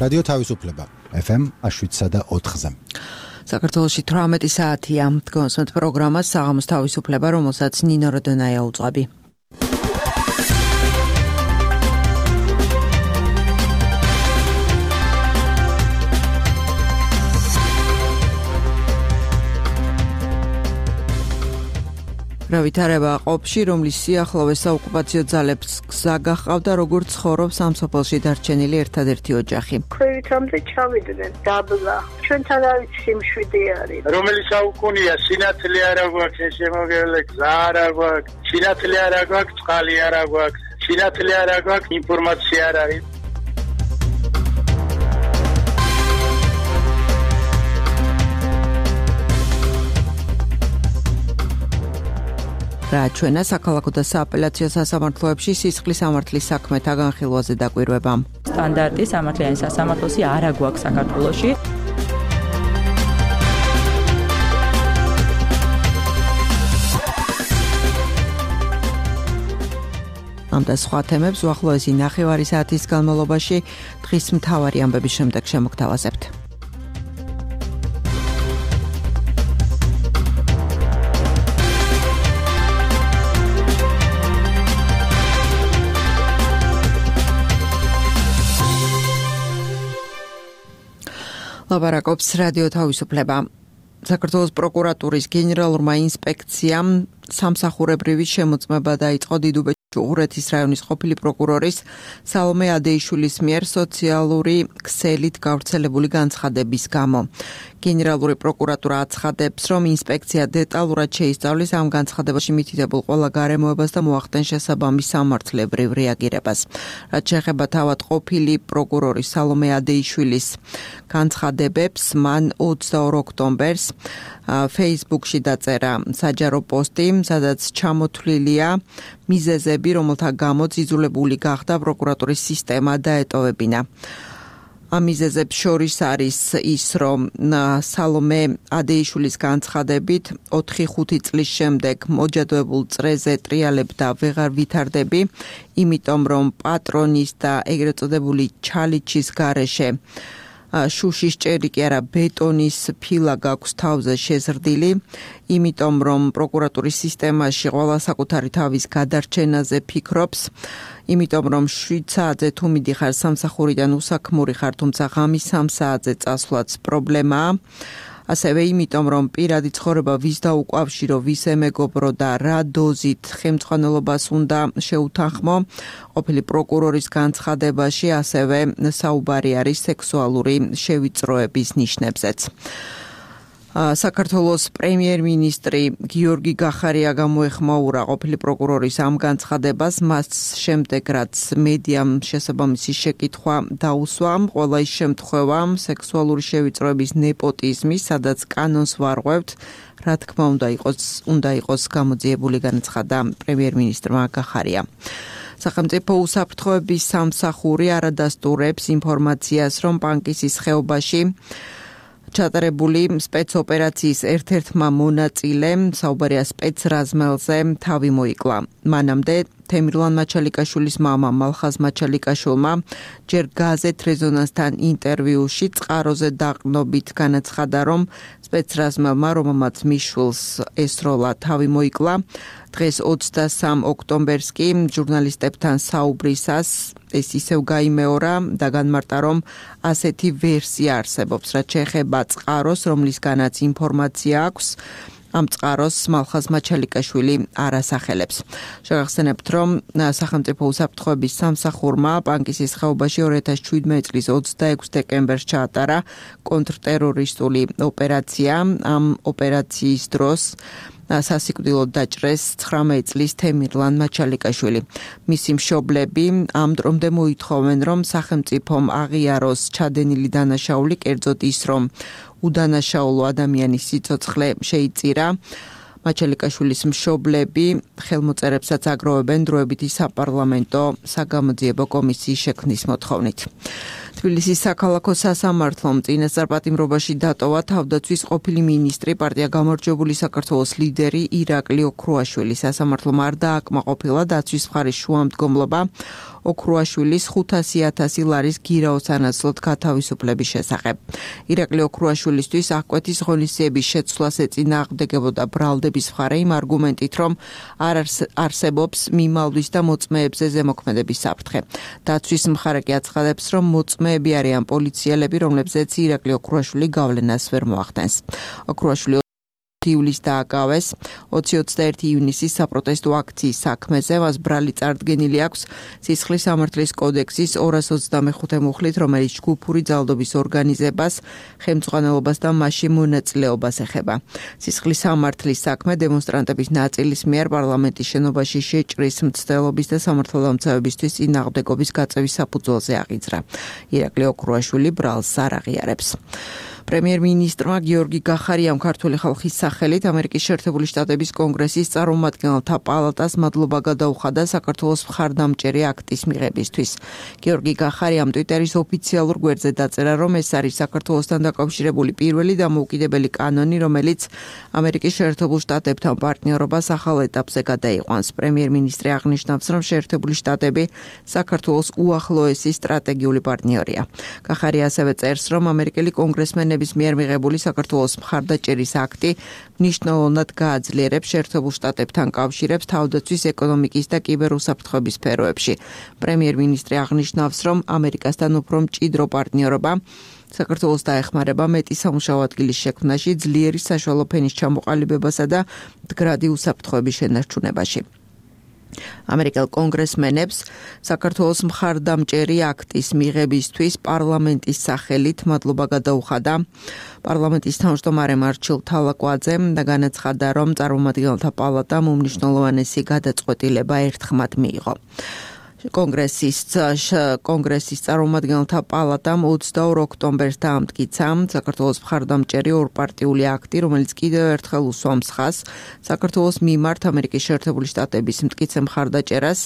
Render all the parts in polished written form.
რადიო თავისუფლება FM 7.4-ზე. საქართველოში 18 საათია. გონსმენთ პროგრამას საღამოს თავისუფლება, რომელსაც ნინო როდონაია უწყები. ვითარება ყოფში, რომლის სიახლოვეს საოკუპაციო ძალებს გზა გაჰყავდა, როგორც ცხოვრობს ამ სოფელში დარჩენილი ერთადერთი ოჯახი. ქვევითამდე ჩავიდნენ დაბლა. ჩვენთან არის სიმშვიდე არის. რომელიც საუკუნეა, სინათლე არა გვაქვს, შემოგევლე გზა არა გვაქვს, სინათლე არა გვაქვს, წყალი არა გვაქვს, სინათლე არა გვაქვს, ინფორმაცია არ არის. ჩვენა საქალაქო და სააპელაციო სასამართლოებში სისხლის სამართლის საქმეთა განხილვაზე დაკვირვება. სტანდარტი სამართლიანი სასამართლოსი არ აგვაქვს საქართველოში. ამ და სხვა თემებს უახლოესი ნახევარი საათის განმავლობაში დღის მთავარი ამბების შემდეგ შემოგთავაზებთ. ლაპარაკობს რადიო თავისუფლება. საქართველოს პროკურატურის გენერალურმა ინსპექციამ სამსახურებრივი შემოწმება დაიწყო დიდუბეჭ უღურეთის რაიონის ყოფილი პროკურორის სალომე ადეიშვილის მიერ სოციალური ქსელით გავრცელებული განცხადების გამო. გენერალური პროკურატურა აცხადებს, რომ ინსპექცია დეტალურად შეისწავლის ამ განცხადებაში მითითებულ ყველა გარემოებას და მოახდენს შესაბამის სამართლებრივ რეაგირებას. რაც შეეხება თავად ყოფილი პროკურორის სალომე ადეიშვილის განცხადებებს, მან 22 ოქტომბერს Facebook-ში დაწერა საჯარო პოსტი, სადაც ჩამოთვლილია მიზეზები, რომელთა გამოც იძულებული გახდა პროკურატურის სისტემა დაეტოვებინა. ამ მიზეზებს შორის არის ის, რომ სალომე ადეიშვილის განცხადებით 4-5 წლის შემდეგ მოჯადოებულ წრეზე ტრიალებ და ვეღარ ვითარდები, იმიტომ რომ პატრონის და ეგრეთ წოდებული ჩალიჩის გარეშე შუშის ჭერი კი არა ბეტონის ფილა გაქვს თავზე შეზრდილი, იმიტომ რომ პროკურატურის სისტემაში ყველა საკუთარი თავის გადარჩენაზე ფიქრობს, იმიტომ რომ 7 საათზე თუ მიდიხარ სამსახურიდან უსაქმური ხარ, თუმცა ღამის 3 საათზე წასვლაც პრობლემაა. ასევე იმიტომ რომ პირადი ცხოვრება ვის დაუკავშირო, ვის ემეგობრო და რა დოზით ხელმძღვანელობას უნდა შეუთანხმო, ყოფილი პროკურორის განცხადებაში ასევე საუბარი არის სექსუალური შევიწროების ნიშნებზეც. საქართველოს პრემიერ-მინისტრი გიორგი გახარია გამოეხმაურა ყოფილი პროკურორის ამ განცხადებას, მას შემდეგ რაც მედიამ შესაბამისი შეკითხვა დაუსვა, ყველა ის შემთხვევა სექსუალური შევიწროების ნეპოტიზმის, სადაც კანონს ვარღვევთ, რა თქმა უნდა იყოს გამოძიებული, განაცხადა პრემიერ-მინისტრმა გახარია. სახელმწიფო უსაფრთხოების სამსახური არადასტურებს ინფორმაციას, რომ პანკისის ხეობაში ჩატარებული სპეცოპერაციის ერთ-ერთმა მონაწილემ, საუბარია სპეცრაზმელზე, თავი მოიკლა. მანამდე თემირლან მაჩალიკაშვილის მამა მალხაზ მაჩალიკაშვილმა ჯერ გაზეთ რეზონანსთან ინტერვიუში წყაროზე დაყრდნობით განაცხადა, რომ სპეცრაზმელმა, რომელმაც მიშვილს ესროლა, თავი მოიკლა. დღეს 23 ოქტომბერს კი ჟურნალისტებთან საუბრისას ეს ისევ გაიმეორა და განმარტა, რომ ასეთი ვერსია არსებობს, რაც შეეხება წყაროს, რომლისგანაც ინფორმაცია აქვს. ამ წყაროს მალხაზ მაჩალიკაშვილი არ ასახელებს. შეგახსენებთ, რომ სახელმწიფო უსაფრთხოების სამსახურმა პანკისის ხეობაში 2017 წლის 26 დეკემბერს ჩაატარა კონტრტერორისტული ოპერაცია. ამ ოპერაციის დროს სასიკვდილოდ დაჭრეს 19 წლის თემირლან მაჩალიკაშვილი. მისი მშობლები ამ დრომდე მოითხოვენ, რომ სახელმწიფომ აღიაროს ჩადენილი დანაშაული, კერძოდ ის, რომ უდანაშაულო ადამიანის სიცოცხლე შეიწირა. მაჩალიკაშვილის მშობლები ხელმოწერებსაც აგროვებენ დროებითი საპარლამენტო საგამოძიებო კომისიის შექმნის მოთხოვნით. თბილისის საქალაქო სასამართლომ წინასწარ პატიმრობაში დატოვა თავდაცვის ყოფილი მინისტრი, პარტია გამარჯვებული საქართველოს ლიდერი ირაკლი ოქრუაშვილი. სასამართლომ არ დააკმაყოფილა დაცვის მხარის შუამდგომლობა ოქრუაშვილის 500,000 ლარის გირაოს ანაცვლოდ გათავისუფლების შესახებ. ირაკლი ოქრუაშვილისთვის აღკვეთის ღონისძიების შეცვლას ეწინააღმდეგებოდა ბრალდების მხარე იმ არგუმენტით, რომ არ არსებობს მიმალვის და მოწმეებზე ზემოქმედების საფრთხე. დაცვის მხარე კი აცხადებს, რომ მოწმეები არიან პოლიციელები, რომლებზეც ირაკლი ოქრუაშვილი გავლენას ვერ მოახდენს. ოქრუაშვილი ივლისს დააკავეს 20-21 ივნისის საპროტესტო აქციის საქმეზე, მას ბრალი წარდგენილი აქვს სისხლის სამართლის კოდექსის 225 მუხლით, რომელიც ჯგუფური ძალადობის ორგანიზებას, ხელმძღვანელობას და მასში მონაწილეობას ეხება. სისხლის სამართლის საქმე დემონსტრანტების ნაწილის მიერ პარლამენტის შენობაში შეჭრის მცდელობის და სამართალდამცავებისთვის წინააღმდეგობის გაწევის საფუძველზე აღიძრა. ირაკლი ოქრუაშვილი ბრალს არ აღიარებს. პრემიერ-მინისტრმა გიორგი გახარიამ ქართული ხალხის სახელით ამერიკის შეერთებული შტატების კონგრესის წარმომადგენელთა პალატას მადლობა გადაუხადა საქართველოს მხარდამჭერი აქტის მიღებისთვის. გიორგი გახარიამ ტვიტერის ოფიციალურ გვერდზე დაწერა, რომ ეს არის საქართველოსთან დაკავშირებული პირველი დამოუკიდებელი კანონი, რომელიც ამერიკის შეერთებულ შტატებთან პარტნიორობას ახალ ეტაპზე გადაიყვანს. პრემიერ-მინისტრი აღნიშნავს, რომ შეერთებული შტატები საქართველოს უახლოესი სტრატეგიული პარტნიორია. გახარია ასევე წერს, რომ ამერიკელი კონგრესმენები მიერ მიღებული საქართველოს მხარდაჭერის აქტი მნიშვნელოვნად გააძლიერებს შეერთებულ შტატებთან კავშირებს თავდაცვის, ეკონომიკის და კიბერუსაფრთხოების სფეროებში. პრემიერ-მინისტრი აღნიშნავს, რომ ამერიკასთან უფრო მჭიდრო პარტნიორობა საქართველოს დაეხმარება მეტი სამუშაო ადგილის შექმნაში, ძლიერი საშუალო ფენის ჩამოყალიბებასა და მდგრადი უსაფრთხოების შენარჩუნებაში. ამერიკელ კონგრესმენებს საქართველოს მხარდამჭერი აქტის მიღებისთვის პარლამენტის სახელით მადლობა გადაუხადა პარლამენტის თავმჯდომარემ არჩილ თალაკვაძემ და განაცხადა, რომ წარმომადგენელთა პალატამ უმნიშვნელოვანესი გადაწყვეტილება ერთხმად მიიღო. კონგრესის წარმომადგენელთა პალატამ 22 ოქტომბერს დაამტკიცა საქართველოს მხარდამჭერი ორპარტიული აქტი, რომელიც კიდევ ერთხელ უსვამს ხაზს საქართველოს მიმართ ამერიკის შეერთებული შტატების მტკიცე მხარდაჭერას,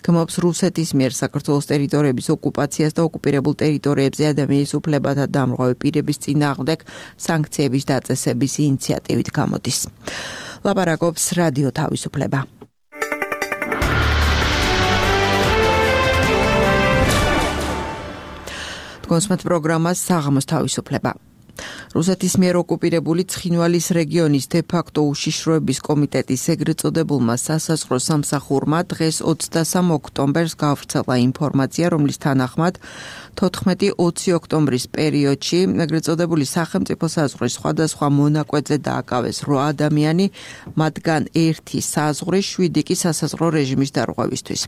გმობს რუსეთის მიერ საქართველოს ტერიტორიების ოკუპაციას და ოკუპირებულ ტერიტორიებზე ადამიანის უფლებათა დამრღვევი პირების წინააღმდეგ სანქციების დაწესების ინიციატივით გამოდის. ლაპარაკობს რადიო თავისუფლება. კონსმეთ პროგრამას საღამოს თავისუფლება. რუსეთის მიერ ოკუპირებული ცხინვალის რეგიონის დე-ფაქტო უშიშროების კომიტეტის ეგრეთ წოდებულმა სასაზღვრო სამსახურმა დღეს 23 ოქტომბერს გავრცელა ინფორმაცია, რომლის თანახმად 14-20 ოქტომბრის პერიოდში ეგრეთ წოდებული სახელმწიფო საზღვრის სხვადასხვა მონაკვეთზე დააკავეს 8 ადამიანი, მათგან 1 საზღვრის, 7 კი სასაზღვრო რეჟიმის დარღვევისთვის.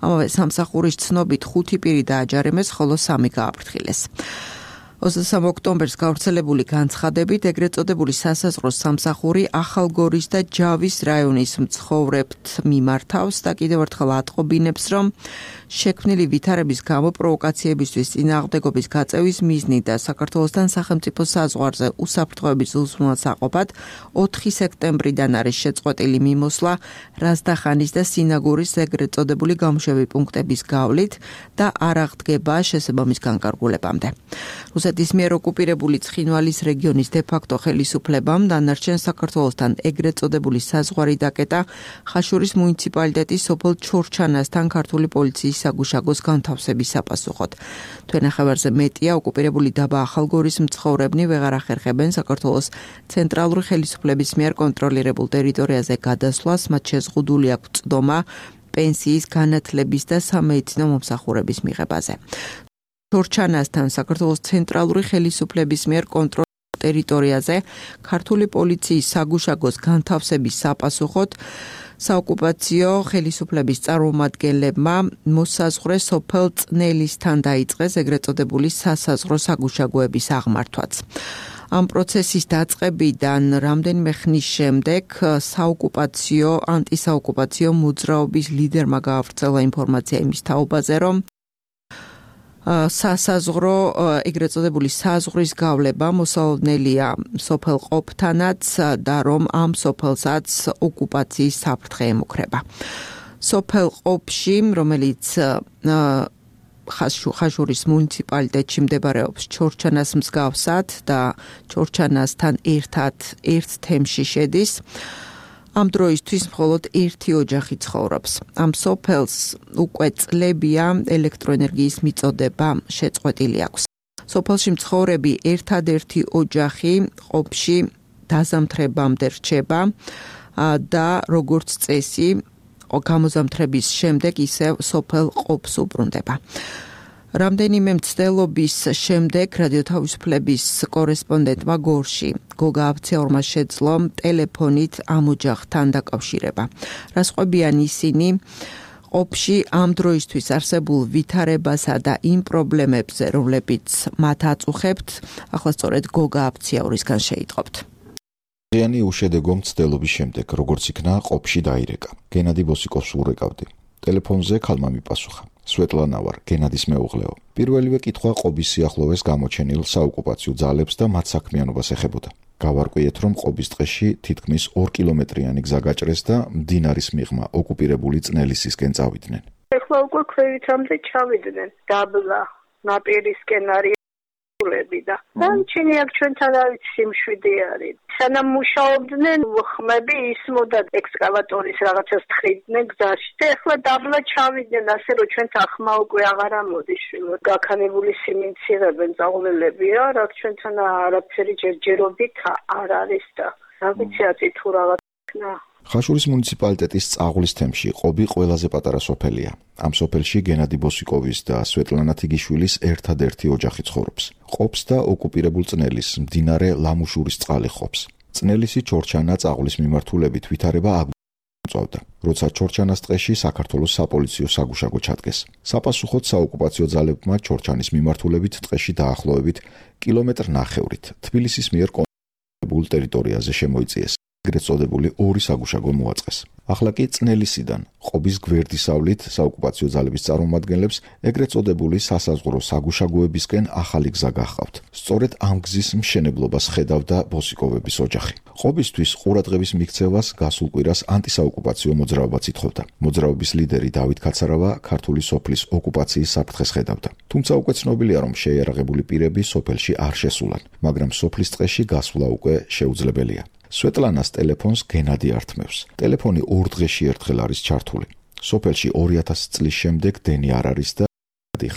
ამავე სამსახურის ცნობით 5 პირი დააჯარიმეს, ხოლო 3 გააფრთხილეს. 23 ოქტომბერს გავრცელებული განცხადებით ეგრეთ წოდებული სასაზღვრო სამსახური ახალგორის და ჯავის რაიონის მცხოვრებთ მიმართავს და კიდევ ერთხელ ატყობინებს, რომ შექმნილი ვითარების გამო პროვოკაციებისთვის წინააღმდეგობის გაწევის მიზნით და საქართველოსთან სახელმწიფო საზღვარზე უსაფრთხოების უზრუნველსაყოფად 4 სექტემბრიდან არის შეწყვეტილი მიმოსვლა რაზდახანის და სინაგურის ეგრეთ წოდებული გამოშვების პუნქტების გავლით და არ აღდგება შესაბამის განკარგულებამდე. რუსეთის მიერ ოკუპირებული ცხინვალის რეგიონის დე-ფაქტო ხელისუფლებამ დანარჩენ საქართველოსთან ეგრეთ წოდებული საზღვარი დაკეტა ხაშურის მუნიციპალიტეტის სოფელ ჩორჩანასთან ქართული პოლიციის საგუშაგოს განთავსების საპასუხოდ. თვენახევარზე მეტია ოკუპირებული დაბა ახალგორის მცხოვრებნი ვეღარ ახერხებენ საქართველოს ცენტრალური ხელისუფლების მიერ კონტროლირებულ ტერიტორიაზე გადასვლას, მათ შეზღუდული აქვს წდომა პენსიის, განათლების და სამედიცინო მომსახურების მიღებაზე. ჩორჩანასთან საქართველოს ცენტრალური ხელისუფლების მიერ კონტროლირებულ ტერიტორიაზე ქართული პოლიციის საგუშაგოს განთავსების საპასუხოდ საოკუპაციო ხელისუფლების წარმომადგენლებმა მოსაზღვრე სოფელ წნელისთან დაიწყეს ეგრეთ წოდებული სასაზღვრო საგუშაგოების აღმართვაც. ამ პროცესის დაწყებიდან რამდენიმე ხნის შემდეგ ანტისაოკუპაციო მოძრაობის ლიდერმა გაავრცელა ინფორმაცია იმის თაობაზე, რომ სასაზღვრო ეგრეთ წოდებული საზღვრის გავლება მოსალოდნელია სოფელ ყოფთანაც და რომ ამ სოფელსაც ოკუპაციის საფრთხე ემუქრება. სოფელ ყოფში, რომელიც ხაშურის მუნიციპალიტეტში მდებარეობს ჩორჩანას მსგავსად და ჩორჩანასთან ერთად ერთ თემში შედის, ამ დროისთვის მხოლოდ ერთი ოჯახი ცხოვრობს. ამ სოფელს უკვე წლებია ელექტროენერგიის მიწოდება შეწყვეტილი აქვს. სოფელში მცხოვრები ერთადერთი ოჯახი ყოფში დაზამთრებამდე რჩება და როგორც წესი გამოზამთრების შემდეგ ისევ სოფელ ყოფს უბრუნდება. რამდენიმე მცდელობის შემდეგ რადიო თავისუფლების კორესპონდენტმა გორში გოგა აბციაურმა შეძლო ტელეფონით ამ ოჯახთან დაკავშირება. რასყვებიან ისინი ყოფში ამ დროისთვის არსებულ ვითარებასა და იმ პრობლემებზე, რომლებიც მათ აწუხებთ, ახლა სწორედ გოგა აბციაურისგან შეიტყობთ. ზიანი უშედეგო მცდელობის შემდეგ, როგორც იქნა ყოფში დაირეკა. გენადი ბოსიკოვს ურეკავდი. ტელეფონზე ქალმა მიპასუხა. სვეტლანა ვარ, გენადის მეუღლეო. პირველივე კითხვა ყოფის სიახლოვეს გამოჩენილ საოკუპაციო ძალებს და მათ საქმიანობას ეხებოდა. გავარკვიეთ, რომ ყოფის ტყეში თითქმის 2 კილომეტრიანი გზა გაჭრეს და მდინარის მიღმა ოკუპირებული წნელისისკენ წავიდნენ. ეხლა უკვე ქვევითამდე ჩავიდნენ. დაბლა, ნაპირისკენ არის და დამჩენი აქ ჩვენთან არის სიმშვიდე არის. სანამ მუშაობდნენ ხმები ისმოდა ექსკავატორის რაღაცას თხიდნენ გზაში და ეხლა დაბლა ჩავიდნენ, ასე რომ ჩვენთან ხმა უკვე აღარ ამოდის. გაქანებული სიმინდს იღებენ წაღლელებია, რაც ჩვენთან არაფერი ჯერჯერობით არ არის და რა ვიცი აწი თუ რაღაც იქნა. ხაშურის მუნიციპალიტეტის წაღლის თემში ყოფი ყველაზე პატარა სოფელია. ამ სოფელში გენადი ბოსიკოვის და სვეტლანა თიგიშვილის ერთადერთი ოჯახი ცხოვრობს. ყოფს და ოკუპირებულ წნელის მდინარე ლამუშურის წყალი ყოფს. წნელისი ჩორჩანა წაღლის მიმართულებით ვითარება აღწევდა. როცა ჩორჩანას ტყეში საქართველოს sapolicio საგუშაგო ჩადგეს. საპასუხოდ საოკუპაციო ძალებმა ჩორჩანის მიმართულებით ტყეში დაახლოებით კილომეტრ ნახევრით თბილისის მიერ კონტროლებულ ტერიტორიაზე შემოიწიეს. ეგრეთ წოდებული ორი საგუშაგო მოაწყეს. ახლა კი წნელისიდან ყოფის გვერდისავლით საოკუპაციო ძალების წარმომადგენლებს ეგრეთ წოდებული სასაზღვრო საგუშაგოებისკენ ახალი გზა გაჰყავთ. სწორედ ამ გზის მშენებლობას ხედავდა ბოსიკოვების ოჯახი. ყოფისთვის ყურადღების მიქცევას გასულ კვირას ანტისაოკუპაციო მოძრაობაც ითხოვდა. მოძრაობის ლიდერი დავით კაცარავა ქართული სოფლის ოკუპაციის საფრთხეს ხედავდა. თუმცა უკვე ცნობილია, რომ შეიარაღებული პირები სოფელში არ შესულან, მაგრამ სოფლის ტყეში გასვლა უკვე შეუძლებელია. სვეტლანას ტელეფონს გენადი ართმევს. ტელეფონი 2 დღეში ერთხელ არის ჩართული. სოფელში 2000 წლის შემდეგ დენი არ არის და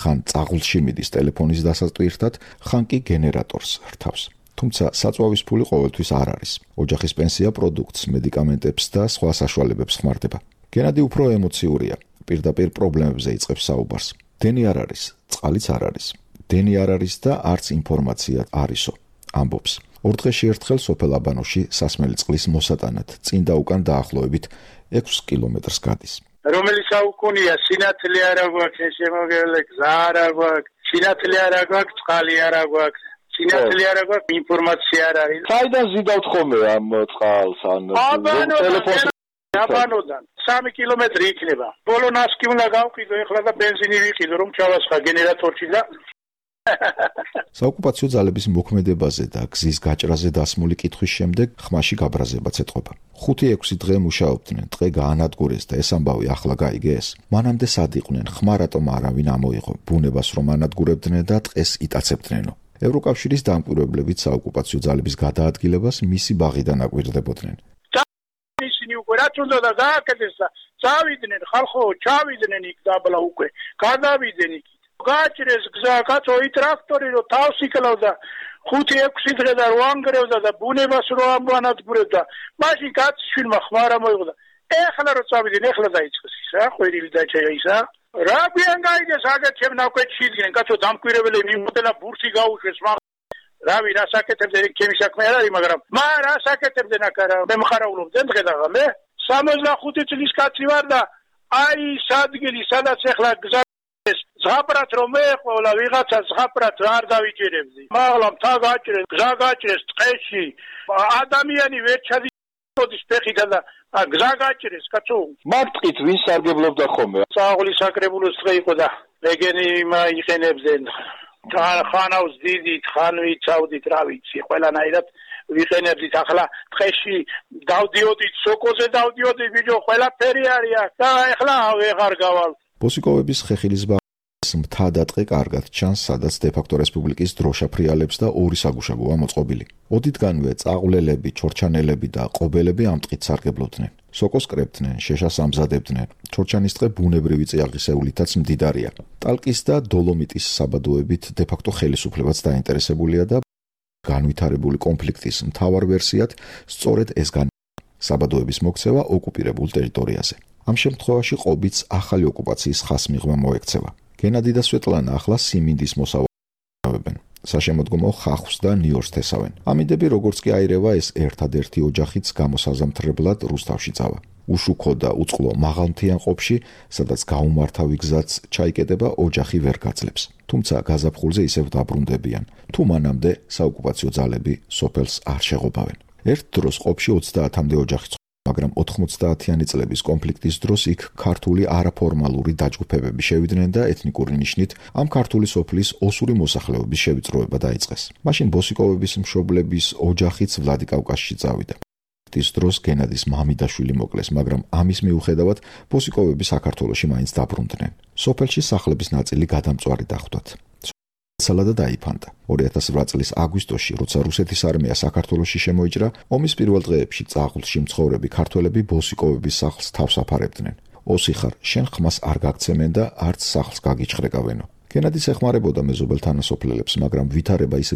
ხან წაღლში მიდის ტელეფონის დასატვირთად, ხან კი გენერატორს რთავს. თუმცა საწვავის ფული ყოველთვის არ არის. ოჯახის პენსია პროდუქტს, მედიკამენტებს და სხვა საშუალებებს ხმარდება. გენადი უფრო ემოციურია. პირდაპირ პრობლემებზე იწყებს საუბარს. დენი არ არის, წყალიც არ არის. დენი არ არის და არც ინფორმაცია არისო. ამბობს. 2 დღეში ერთხელ სოფელ აბანოში სასმელი წყლის მოსატანად წინ და უკან დაახლოებით 6 კილომეტრს გადის. რომელიც საუკუნეა სინათლე არა გვაქვს, შემოგევლე გზა არა გვაქვს, სინათლე არა გვაქვს, წყალი არა გვაქვს, სინათლე არა გვაქვს, ინფორმაცია არ არის. საიდან ზიდავთ ხოლმე ამ წყალს ან ტელეფონს? აბანოდან 3 კილომეტრი იქნება. ბოლო ნასკი უნდა გავყიდო ეხლა და ბენზინი ვიყიდო რომ ჩავასხა გენერატორში და საოკუპაციო ძალების მოქმედებაზე და გზის გაჭრაზე დასმული კითხვის შემდეგ ხმაში გაბრაზებაც ეთყობა. 5-6 დღე მუშაობდნენ, ტყე გაანადგურეს და ეს ამბავი ახლა გაიგეს. მანამდე სად იყვნენ, ხმა რატომ არავინ ამოიღო, ბუნებას რომ ანადგურებდნენ და ტყეს იტაცებდნენო. ევროკავშირის დამკვირვებლებით საოკუპაციო ძალების გადაადგილებას მისი ბაღიდან აკვირდებოდნენ. ისინი უკვე რაც უნდა და გააკეთეს და წავიდნენ ხალხო, ჩავიდნენ იქ დაბლა უკვე, გადავიდნენ იქ. გაჭრეს გზა, კაცოი ტრაქტორი რო თავს იკლავდა 5-6 დღე და რო ანგრევდა და ბუნებას რო ამანადგურებდა. მაშინ კაცშვილმა ხმა რა მოიღო. ეხლა რო წავიდნენ, ეხლა დაიწყეს ის რა, ყვირილი დაჭერა ისა. რა გვიან გაიგეს აგეთ შემნაკვეთში იდგნენ, კაცო დამკვირვებელი მიმოდელა ბურსი გაუშვეს, რავი რა საკეთებდნენ, ჩემი საქმე არ არის, მაგრამ რა საკეთებდნენ აქ რა, მე მხარაულობდნენ დღე და ღამე. 65 წლის კაცი ვარ და აი სადგილი, სადაც ეხლა გზა ზღაპრად რომ მეყოლა ვიღაცა ზღაპრად არ დავიჭერებდი. მაღლა მთა გაჭრეს, გზა გაჭრეს ტყეში. ადამიანი ვერ ჩადიოდის ფეხით და გზა გაჭრეს, კაცო. მარტყით ვინ სარგებლობდა ხოლმე? წაღლის საკრებულოს დღე იყო და ეგენი იყენებდნენ. ხანავს დიდით, ხან ვიცავდით, რა ვიცი, ყველანაირად ვიყენებდით. ახლა ტყეში დავდიოდით, სოკოზე დავდიოდით, ბიჭო, ყველაფერი არის და ახლა ვეღარ გავალ. ბოსიკოვების ხეხილის მაცხოვრებლებს მთა-დატყე კარგად ჩანს, სადაც დე-ფაქტო რესპუბლიკის დროშა ფრიალებს და ორი საგუშაგოა მოწყობილი. ოდითგანვე წაყვლელები, ჩორჩანელები და ყობელები ამ ტყით სარგებლობდნენ. სოკოს კრებდნენ, შეშას ამზადებდნენ. ჩორჩანის ტყე ბუნებრივი წიაღისეულითაც მდიდარია. ტალკის და დოლომიტის საბადოებით დე-ფაქტო ხელისუფლებაც დაინტერესებულია და განვითარებული კონფლიქტის მთავარ ვერსიად სწორედ ეს საბადოების მოქცევა ოკუპირებულ ტერიტორიაზე. ამ შემთხვევაში ყობიც ახალი ოკუპაციის ხასმიღმა მოექცევა. გენადი და სვეტლანა ახლა სიმინდის მოსავლებენ. საშემოდგომო ხახვს და ნიორს თესავენ. ამიდები როგორც კი აირევა ეს ერთადერთი ოჯახიც გამოსაზამთრებლად რუსთავში წავა. უშუქო და უწყლო მაღალმთიან ყოფში, სადაც გაუმართავი გზაც ჩაიკეტება, ოჯახი ვერ გაძლებს. თუმცა გაზაფხულზე ისევ დაბრუნდებიან. თუ მანამდე საოკუპაციო ძალები სოფელს არ შეღობავენ. ერთ დროს ყოფში 30-მდე ოჯახი, მაგრამ 90-იანი წლების კონფლიქტის დროს იქ ქართული არაფორმალური დაჯგუფებები შევიდნენ და ეთნიკური ნიშნით ამ ქართული სოფლის ოსური მოსახლეობის შევიწროება დაიწყეს. მაშინ ბოსიკოვების მშობლების ოჯახიც ვლადიკავკაზში წავიდა. ის დროს გენადის მამი და შვილი მოკლეს, მაგრამ ამის მიუხედავად ბოსიკოვები საქართველოში მაინც დაბრუნდნენ. სოფელში სახლების ნაწილი გადამწვარი დახვდათ. სალადა დაიფანტა. 2008 წლის აგვისტოში, როცა რუსეთის არმია საქართველოში შემოიჭრა, ომის პირველ დღეებში წააღლში მცხოვრები ქართველები ბოსიკოვების სახლს თავს აფარებდნენ. ოსი ხარ, შენ ხმას არ გაგცემენ და არც სახლს გაგიჩხრეკავენო. გენადის ეხმარებოდა მეზობელ თანასოფლელებს, მაგრამ ვითარება ისე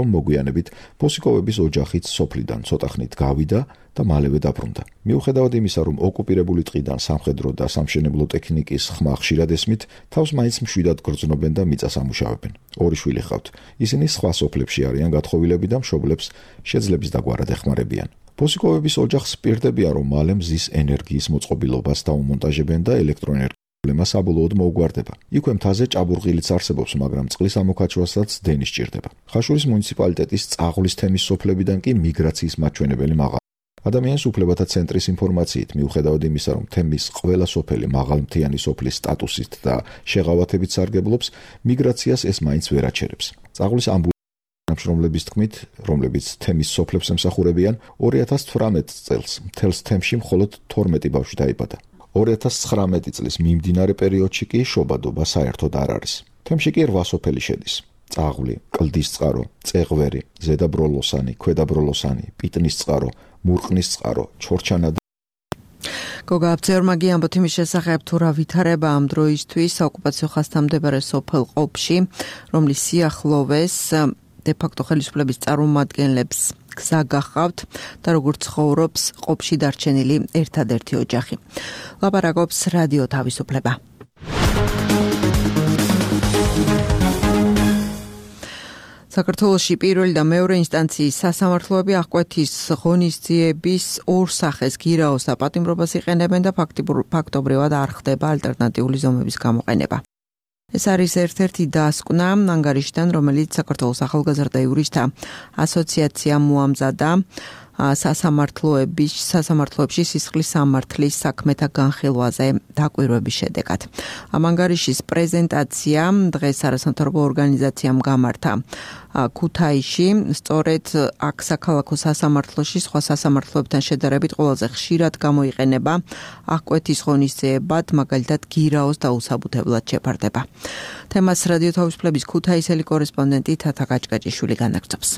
რომ მოგვიანებით ბოსიკოვების ოჯახიც სოფლიდან ცოტა ხნით გავიდა და მალევე დაბრუნდა. მიუხედავად იმისა, რომ ოკუპირებული ტყიდან სამხედრო და სამშენებლო ტექნიკის ხმა ხშირად ესმით, თავს მაინც მშვიდად გრძნობენ და მიწას ამუშავებენ. ორი შვილი ჰყავთ. ისინი სხვა სოფლებში არიან გათხოვილები და მშობლებს შეძლების დაგვარად ეხმარებიან. ბოსიკოვების ოჯახს პირდებიან, რომ მალე მზის ენერგიის მოწყობილობას დაუმონტაჟებენ და ელექტროენერგია პრობლემა საბოლოოდ მოუგვარდება. იქვე მთაზე ჭაბურღილიც არსებობს, მაგრამ წყლის ამოქაჩვასაც დენი სჭირდება. ხაშურის მუნიციპალიტეტის წაღვლის თემის სოფლებიდან კი მიგრაციის მაჩვენებელი მაღალია. ადამიანის უფლებათა ცენტრის ინფორმაციით, მიუხედავად იმისა, რომ თემის ყველა სოფელი მაღალმთიანი სოფლის სტატუსით და შეღავათებით სარგებლობს, მიგრაციას ეს მაინც ვერ აჩერებს. წაღვლის ამბულანსების თქმით, რომლებიც თემის სოფლებს ემსახურებიან, 2018 წელს მთელს თემში მხოლოდ 12 ბავშვი დაიბადა. 2019 წლის მიმდინარე პერიოდში კი შობადობა საერთოდ არ არის. თემში კი 8 სოფელი შედის. წაღვლი, კლდისწყარო, წეღვერი, ზედაბროლოსანი, ქვედაბროლოსანი, პიტნისწყარო, მურყნისწყარო, ჩორჩანა და გოგა აბძერმაგი ამბობთ იმის შესახებ, თუ რა ვითარება ამ დროისთვის საოკუპაციო ხასთამდებარე სოფელ ყოფში, რომლის სიახლოვეს დე-ფაქტო ხელისუფლების წარმომადგენლებს გზა გახავთ და როგორ ცხოვრობს ყოფში დარჩენილი ერთადერთი ოჯახი. ლაპარაკობს რადიო თავისუფლება. საქართველოში პირველი და მეორე ინსტანციის სასამართლოები აღკვეთის ღონისძიების ორ სახეს გირაოს და პატიმრობას იყენებენ და ფაქტობრივად არ ხდება ალტერნატიული ზომების გამოყენება. ეს არის ერთ-ერთი დასკვნა ანგარიშიდან, რომელიც საქართველოს ახალგაზრდა იურისტთა ასოციაცია მოამზადა სასამართლოებში სისხლის სამართლის საქმეთა განხილვაზე დაკვირვების შედეგად. ამ ანგარიშის პრეზენტაცია დღეს არასამთავრობო ორგანიზაციამ გამართა ქუთაისში, სწორედ აქ საქალაქო სასამართლოში სხვა სასამართლოებთან შედარებით ყველაზე ხშირად გამოიყენება აღკვეთის ღონისძიებად, მაგალითად გირაოს დაუსაბუთებლად შეფარდება. თემას რადიო თავისუფლების ქუთაისელი კორესპონდენტი თათა გაჭგაჭიშვილი განაგრძობს.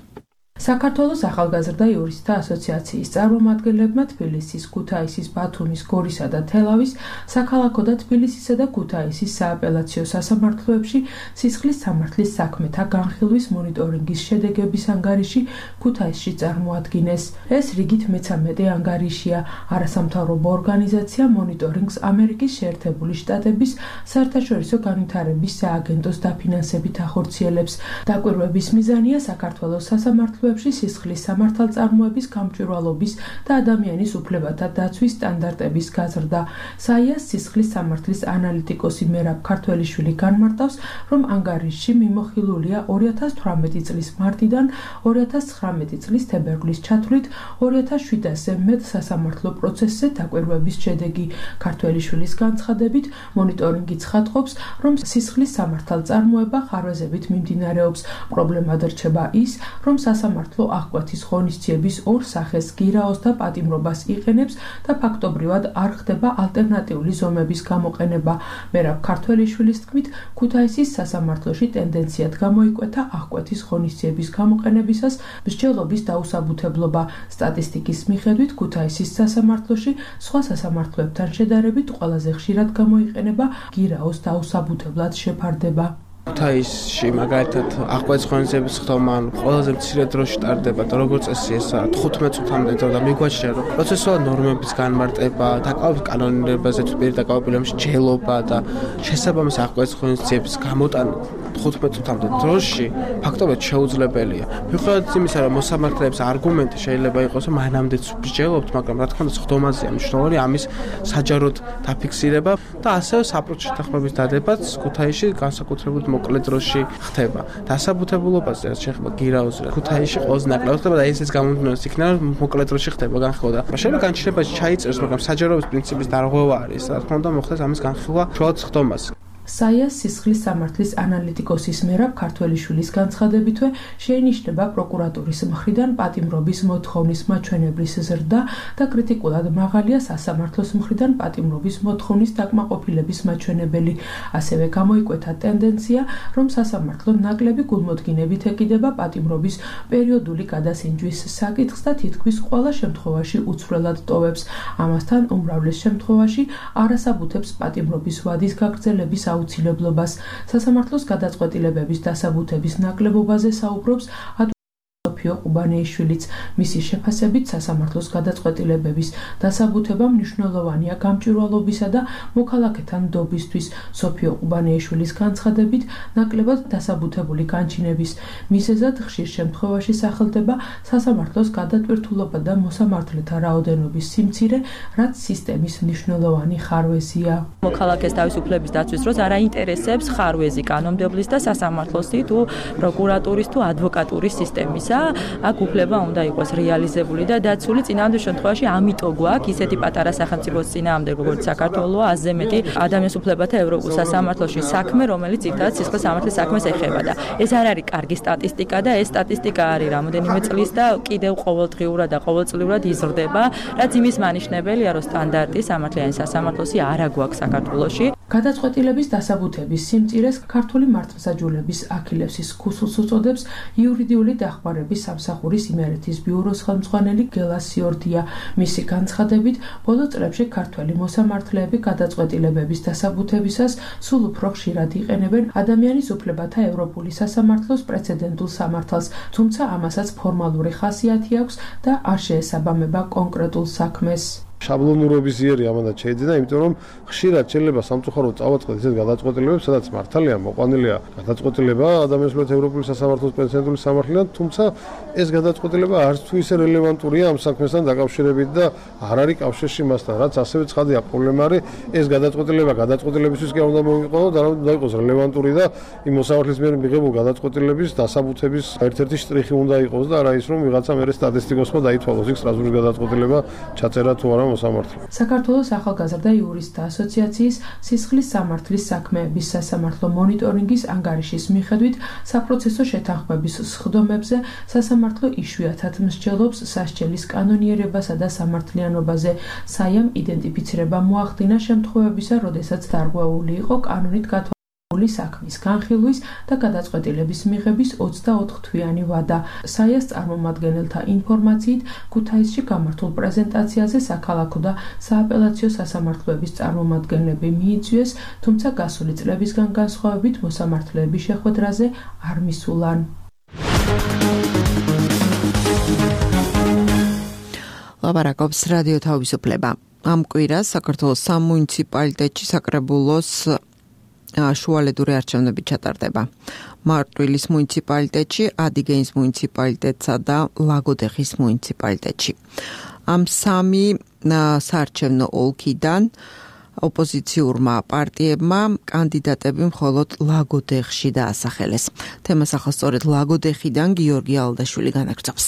საქართველოს ახალგაზრდა იურისტთა ასოციაციის წარმომადგენლებმა თბილისის, ქუთაისის, ბათუმის, გორისა და თელავის საქალაქო და თბილისისა და ქუთაისის სააპელაციო სასამართლოებში სისხლის სამართლის საქმეთა განხილვის მონიტორინგის შედეგების ანგარიში ქუთაისში წარმოადგინეს. ეს რიგით მე-13 ანგარიშია. არასამთავრობო ორგანიზაცია მონიტორინგს ამერიკის შეერთებული შტატების საერთაშორისო განვითარების სააგენტოს დაფინანსებით ახორციელებს. დაკვირვების მიზანია საქართველოს სასამართლოებში სისხლის სამართალწარმოების გამჭვირვალობის და ადამიანის უფლებათა დაცვის სტანდარტების გაზრდა. საიას სისხლის სამართლის ანალიტიკოსი მერაბ ქართველიშვილი განმარტავს, რომ ანგარიშში მიმოხილულია 2018 წლის მარტიდან 2019 წლის თებერვლის ჩათვლით 2700-ზე მეტ სასამართლო პროცესზე დაკვირვების შედეგი. ქართველიშვილის განცხადებით, მონიტორინგი ცხადყოფს, რომ სისხლის სამართალწარმოება ხარვეზებით მიმდინარეობს. პრობლემად რჩება ის, რომ სასამართლო სასამართლო აღკვეთის ღონისძიების ორ სახეს გირაოს და პატიმრობას იყენებს და ფაქტობრივად არ ხდება ალტერნატიული ზომების გამოყენება. მერაბ ქართველიშვილის თქმით, ქუთაისის სასამართლოში ტენდენციად გამოიკვეთა აღკვეთის ღონისძიების გამოყენებისას მსჯელობის დაუსაბუთებლობა. სტატისტიკის მიხედვით ქუთაისის სასამართლოში სხვა სასამართლოებთან შედარებით ყველაზე ხშირად გამოიყენება გირაოს დაუსაბუთებლად შეფარდება. ქუთაისში მაგალითად აღკვეთის ღონისძიების ხდომა ყველაზე მცირე დროში ტარდება და როგორც წესი ეს 15 წუთამდე და მიგვაჩნია რომ პროცესუალურ ნორმების განმარტება, დაკავების კანონირებაზე თვითონ დაკავებულების ჯელობა და შესაბამისი აღკვეთის ღონისძიების გამოტანა 15 წუთამდე დროში ფაქტობრივად შეუძლებელია. მიუხედავად იმისა, რომ მოსამართლეების არგუმენტი შეიძლება იყოს, რომ მანამდეც მსჯელობთ, მაგრამ რა თქმა უნდა ხდომაზეა მნიშვნელოვანი ამის საჯაროდ დაფიქსირება და ასევე საპროცესო შეთანხმების დადებაც ქუთაისში განსაკუთრებით მოკლე დროში ხდება. დასაბუთებულობაზე რაც შეეხება გირაოზე ქუთაისში ყველაზე ნაკლებად ხდება და ესეც გამომდინარეობს იქნება რომ მოკლე დროში ხდება განხილვა. შეიძლება განჩინებაში ჩაიწეროს, მაგრამ საჯაროების პრინციპის დარღვევა არის. რა თქმა უნდა მოხდეს ამის განხილვა შუალოდ ხდომას. საიას სისხლის სამართლის ანალიტიკოსის მერაბ ქართველიშვილის განცხადებითვე შეინიშნება პროკურატურის მხრიდან პატიმრობის მოთხოვნის მაჩვენებლის ზრდა და კრიტიკულად მაღალია სასამართლოს მხრიდან პატიმრობის მოთხოვნის დაკმაყოფილების მაჩვენებელი. ასევე გამოიკვეთა ტენდენცია, რომ სასამართლო ნაკლები გულმოდგინებით ეკიდება პატიმრობის პერიოდული გადასინჯვის საკითხს და თითქმის ყველა შემთხვევაში უცვლელად ტოვებს. ამასთან უმრავლეს შემთხვევაში არასაბუთებს პატიმრობის ვადის გაგრძელების აუცილებლობას. სასამართლოს გადაწყვეტილებების დასაბუთების ნაკლებობაზე საუბრობს სოფიო ყუბანეიშვილიც. მისი შეფასებით სასამართლოს გადაწყვეტილებების დასაბუთება მნიშვნელოვანია გამჭვირვალობისა და მოქალაქეთა ნდობისთვის. სოფიო ყუბანეიშვილის განცხადებით, ნაკლებად დასაბუთებული განჩინების მიზეზად ხშირ შემთხვევაში სახელდება სასამართლოს გადატვირთულობა და მოსამართლეთა რაოდენობის სიმცირე, რაც სისტემის მნიშვნელოვანი ხარვეზია. მოქალაქეს თავისუფლების დაცვის დროს არ აინტერესებს ხარვეზი კანონმდებლის და სასამართლოსი თუ პროკურატურის თუ ადვოკატურის სისტემის. აქ უფლება უნდა იყოს რეალიზებული და დაცული. წინააღმდეგ შემთხვევაში ამიტომ გვაქვს ისეთი პატარა სახელმწიფოს წინააღმდეგ როგორც საქართველოა, ასზე მეტი ადამიანის უფლებათა ევროპულ სასამართლოში საქმე, რომელიც ძირითადად სისხლის სამართლის საქმეს ეხება და ეს არ არის კარგი სტატისტიკა და ეს სტატისტიკა არის რამოდენიმე წლის და კიდევ ყოველდღიურად და ყოველწლიურად იზრდება, რაც იმის მანიშნებელია, რომ სტანდარტი სამართლიანი სასამართლოსი არა გვაქვს საქართველოში. გადაწყვეტილების დასაბუთების სიმწირეს ქართული მართლმსაჯულების აქილევსის ქუსლს უწოდებს იურიდიული დახმარების სამსახურის იმერეთის ბიუროს ხელმძღვანელი გელა სიორდია. მისი განცხადებით, ბოლო წლებში ქართველი მოსამართლეები გადაწყვეტილებების დასაბუთებისას სულ უფრო ხშირად იყენებენ ადამიანის უფლებათა ევროპული სასამართლოს პრეცედენტულ სამართალს, თუმცა ამასაც ფორმალური ხასიათი აქვს და არ შეესაბამება კონკრეტულ საქმეს. შაბლონურობის იერი ამანაც შეიძლება, იმიტომ რომ ხშირად შეიძლება სამწუხაროდ წავაწყდეთ ისეთ გადაწყვეტილებებს, სადაც მართალია მოყვანილია გადაწყვეტილება ადამიანის უფლებათა ევროპული სასამართლოს პრეცედენტული სამართლიდან, თუმცა ეს გადაწყვეტილება არც თუ ისე რელევანტურია ამ საქმესთან დაკავშირებით და არ არის კავშირში მასთან, რაც ასევე ცხადია პრობლემა არის, ეს გადაწყვეტილება გადაწყვეტილებისთვის კი არ უნდა მოვიყენო და უნდა იყოს რელევანტური და იმ მოსამართლის მიერ მიღებულ გადაწყვეტილების დასაბუთების ერთ-ერთი შტრიხი უნდა იყოს და არა ის რომ ვიღაცა მერე სტატისტიკოსმა დაითვალოს იქ სტრასბურგის გადაწყვეტილება ჩაწერა თუ არა საქართველოს ახალგაზრდა იურისტთა ასოციაციის სისხლის სამართლის საქმეების სასამართლო მონიტორინგის ანგარიშის მიხედვით საპროცესო შეთანხმების სხდომებზე სასამართლო იშვიათად მსჯელობს სასჯელის კანონიერებასა და სამართლიანობაზე. საიამ იდენტიფიცირება მოახდინა შემთხვევებისა, როდესაც დარღვეული იყო კანონით საქმის განხილვის და გადაწყვეტილების მიღების 24 თვიანი ვადა. საიას წარმომადგენელთა ინფორმაციით, ქუთაისში გამართულ პრეზენტაციაზე საქალაქო და სააპელაციო სასამართლოების წარმომადგენლები მიიწვიეს, თუმცა გასული წლებისგან განსხვავებით მოსამართლეების შეხვედრაზე არ მისულან. ლაპარაკობს რადიო თავისუფლება. ამ კვირას საქართველოს სამუნიციპალიტეტში საკრებულოს შუალედური არჩევნები ჩატარდება. მარტვილის მუნიციპალიტეტში, ადიგენის მუნიციპალიტეტსა და ლაგოდეხის მუნიციპალიტეტში. ამ სამი საარჩევნო ოლქიდან ოპოზიციურმა პარტიებმა კანდიდატები მხოლოდ ლაგოდეხში დაასახელეს. თემას ახლა სწორედ ლაგოდეხიდან გიორგი ალდაშვილი განაგრძობს.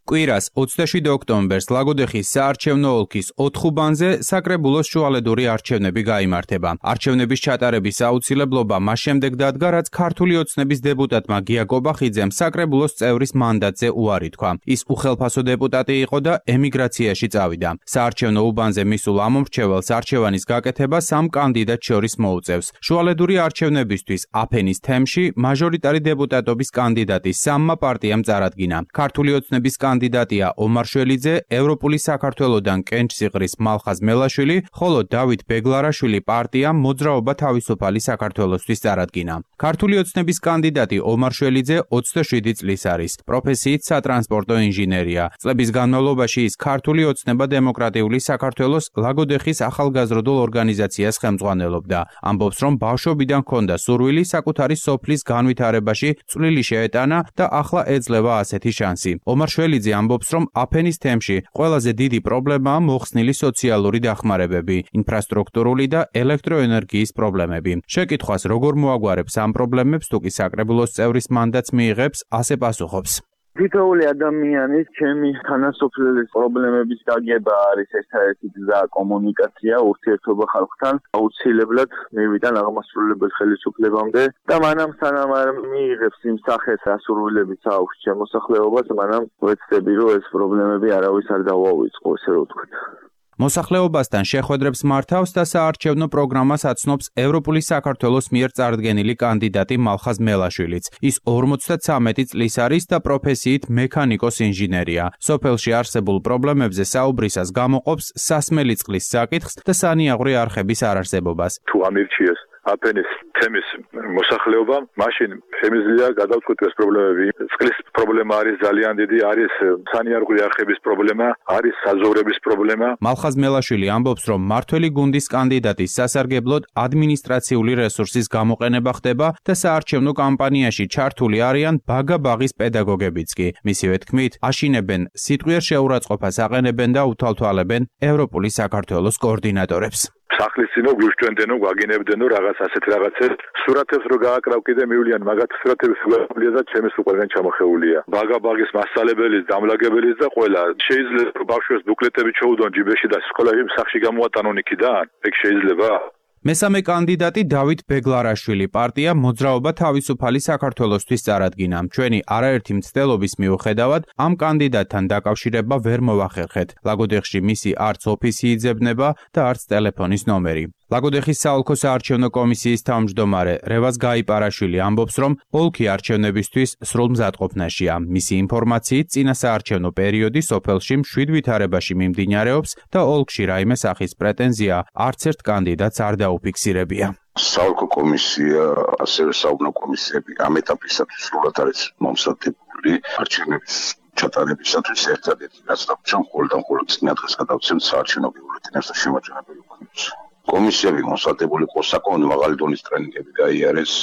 კვირას 27 ოქტომბერს ლაგოდეხის საარჩევნო ოლქის 4 ხუბანზე საკრებულოს შუალედური არჩევნები გაიმართება. არჩევნების ჩატარების აუცილებლობა მას შემდეგ დადგა, რაც ქართული ოცნების დეპუტატმა გია კობახიძემ საკრებულოს წევრის მანდატზე უარი თქვა. ის უხელფასო დეპუტატი იყო და ემიგრაციაში წავიდა. საარჩევნო უბანზე მისულ ამომრჩეველს არჩევანის გაკეთება 3 კანდიდატ შორის მოუწევს. შუალედური არჩევნებისთვის აფენის თემში მაჟორიტარი დეპუტატობის კანდიდატი 3 პარტიამ წარადგინა. ქართული ოცნების კანდიდატია ომარ შველიძე, ევროპული საქართველოდან კენჭსიღრის მალხაზ მელაშვილი, ხოლო დავით ბეგლარაშვილი პარტიამ მოძრაობა თავისუფალი საქართველოსთვის წარადგინა. ქართული ოცნების კანდიდატი ომარ შველიძე 27 წლის არის. პროფესიით სატრანსპორტო ინჟინერია. წლების განმავლობაში ის ქართული ოცნება დემოკრატიული საქართველოს ლაგოდეხის ახალგაზრდულ ორგანიზაციას ხელმძღვანელობდა. ამბობს, რომ ბავშვობიდან ჰქონდა სურვილი საკუთარი სოფლის განვითარებაში წვლილი შეეტანა და ახლა ეძლევა ასეთი შანსი. ომარ შველიძე ამბობს, რომ აფენის თემში ყველაზე დიდი პრობლემაა მოხსნილი სოციალური დახმარებები, ინფრასტრუქტურული და ელექტროენერგიის პრობლემები. შეკითხვას როგორ მოაგვარებს ამ პრობლემებს თუ კი საკრებულოს წევრის მანდატს მიიღებს, ასე პასუხობს. თითოეული ადამიანის ჩემი თანასოფლელის პრობლემების გაგება არის ერთადერთი გზა კომუნიკაცია, ურთიერთობა ხალხთან. აუცილებლად მივიდან აღმასრულებელ ხელისუფლებამდე და მანამ სანამ არ მიიღებს იმ სახეს ასრულებით აქვს შემოსახლეობას, მანამ ვეცდები რომ ეს პრობლემები არავის არ დავაუწყო, ესე რომ ვთქვათ. მოსახლეობასთან შეხვედრებს მართავს და საარჩევნო პროგრამას აცნობს ევროპული საქართველოს მიერ წარდგენილი კანდიდატი მალხაზ მელაშვილიც. ის 53 წლის არის და პროფესიით მექანიკოს ინჟინერია. სოფელში არსებულ პრობლემებზე საუბრისას გამოყოფს სასმელი წყლის საკითხს და სანიაღვრე არხების არარსებობას. თუ ამირჩიეს აფენის თემის მოსახლეობა, მაშინ შემიძლია გადავწყვეტოს პრობლემები. წყლის პრობლემა არის ძალიან დიდი, არის სანიაღვრე არხების პრობლემა, არის საზოვრების პრობლემა. მალხაზ მელაშვილი ამბობს, რომ მართველი გუნდის კანდიდატის სასარგებლოდ ადმინისტრაციული რესურსის გამოყენება ხდება და საარჩევნო კამპანიაში ჩართული არიან ბაგა-ბაღის პედაგოგებიც კი. მისივე თქმით, აშინებენ სიტყვიერ შეურაცხყოფას აყენებენ და უთვალთვალებენ ევროპული საქართველოს координаტორებს. სახლის წინო გვიშჩვენდენო, გვაგინებდენო რაღაც ასეთ რაღაცებს, სურათებს რო გააკრავ კიდე მივლიან, მაგათ სურათების გვაყვლია და ჩემს უყურგან ჩამოხეულია. ბაგა-ბაღის მასწავლებლის, დამლაგებლის და ყველა შეიძლება ბავშვებს ბუკლეტები ჩაუდონ ჯიბეში და სკოლაში სახში გამოატანონ იქიდან. ეგ შეიძლება? მესამე კანდიდატი დავით ბეგლარაშვილი პარტია მოძრაობა თავისუფალი საქართველოსთვის წარადგინა. ჩვენი არაერთი მცდელობის მიუხედავად ამ კანდიდატთან დაკავშირება ვერ მოვახერხეთ. ლაგოდეხში მისი არც ოფისი იძებნება და არც ტელეფონის ნომერი. ლაგოდეხის საოლქო საარჩევნო კომისიის თავმჯდომარე რევაზ გაიპარაშვილი ამბობს, რომ ოლქი არჩევნებისთვის სრულ მზადყოფნაშია. მისი ინფორმაციით წინა საარჩევნო პერიოდი სოფელში მშვიდ ვითარებაში მიმდინარეობს და ოლქში რაიმე სახის პრეტენზია არც ერთ კანდიდატს არ დაუფიქსირებია. საოლქო კომისია, ასევე საუბნო კომისიები ამ ეტაპისათვის სრულად არის მომზადებული არჩევნების ჩატარებისათვის ერთადერთი რაც დავუჩვენ მხოლოდ წინა დღეს გადავცემთ საარჩევნო ბიულეტენებს და შემაჯამებელი ვქონდეს. კომისიები მოსადებული იყო საკმაოდ მაღალი დონის ტრენინგები გაიარეს,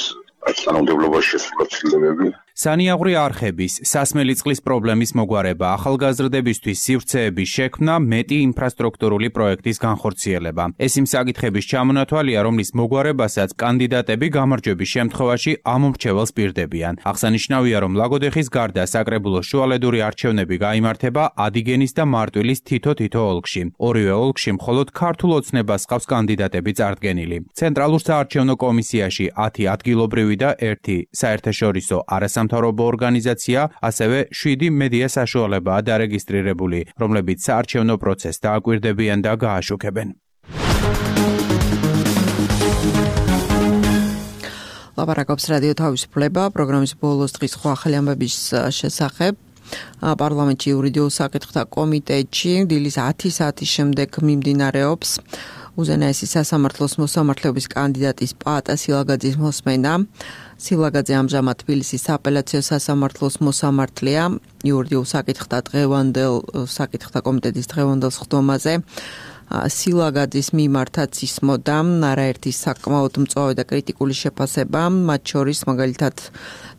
თანამდებობაში შესული ცვლილებები. სანიაღვრე არხების, სასმელი წყლის პრობლემის მოგვარება, ახალგაზრდებისთვის სივრცეების შექმნა, მეტი ინფრასტრუქტურული პროექტის განხორციელება. ეს იმ საკითხების ჩამონათვალია, რომლის მოგვარებასაც კანდიდატები გამარჯვების შემთხვევაში ამომრჩეველს პირდებიან. აღსანიშნავია, რომ ლაგოდეხის გარდა საკრებულოს შუალედური არჩევნები გაიმართება ადიგენის და მარტვილის თითო ოლქში. ორივე ოლქში მხოლოდ ქართულ ოცნებას ჰყავს კანდიდატები წარდგენილი. ცენტრალურ საარჩევნო კომისიაში 10 ადგილობრივი და 1 საერთაშორისო არასამთავრობო ორგანიზაცია, ასევე 7 მედია საშუალებაა დარეგისტრირებული, რომლებიც საარჩევნო პროცესს დააკვირდებიან და გააშუქებენ. ლაპარაკობს რადიო თავისუფლება, პროგრამის ბოლოს დღის სხვა ახალი ამბების შესახებ. პარლამენტში იურიდიულ საკითხთა კომიტეტში დილის 10 საათის შემდეგ მიმდინარეობს უზენაესი სასამართლოს მოსამართლეობის კანდიდატის პაატა სილაგაძის მოსმენა. სილაგაძე ამჟამად თბილისის სააპელაციო სასამართლოს მოსამართლეა იურიდიულ საკითხთა კომიტეტის დღევანდელ სხდომაზე. სილაგაძის მიმართაც ისმოდა არაერთი საკმაოდ მწვავე და კრიტიკული შეფასება, მათ შორის მაგალითად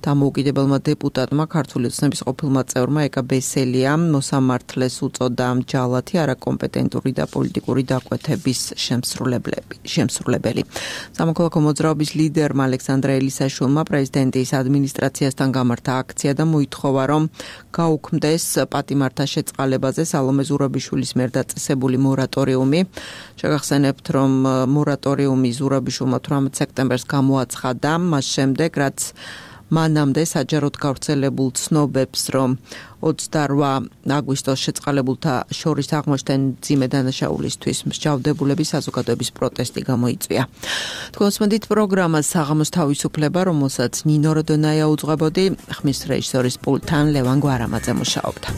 დამოუკიდებელმა დეპუტატმა ქართული ოცნების ყოფილმა წევრმა ეკა ბესელიამ მოსამართლეს უწოდა ჯალათი არაკომპეტენტური და პოლიტიკური დაკვეთების შემსრულებელი. სამოქალაქო მოძრაობის ლიდერმა ალექსანდრე ელისაშვილმა პრეზიდენტის ადმინისტრაციასთან გამართა აქცია და მოითხოვა, რომ გაუქმდეს პატიმართა შეწყალებაზე სალომე ზურაბიშვილის მიერ დაწესებული მორატორიუმი. შეგახსენებთ, რომ მორატორიუმი ზურაბიშვილმა 18 სექტემბერს გამოაცხადა, მას შემდეგ, რაც მანამდე საჯაროდ გავრცელებულ ცნობებს, რომ 28 აგვისტოს შეწყალებულთა შორის აღმოჩნდნენ მძიმე დანაშაულისთვის მსჯავრდებულების საზოგადოების პროტესტი გამოიწვია. თქვენს მოდით პროგრამას საღამოს თავისუფლება, რომელსაც ნინო როდონაია უძღვებოდი, ხმის რეჟისორის პულტთან ლევან გვარამაძე მუშაობდა.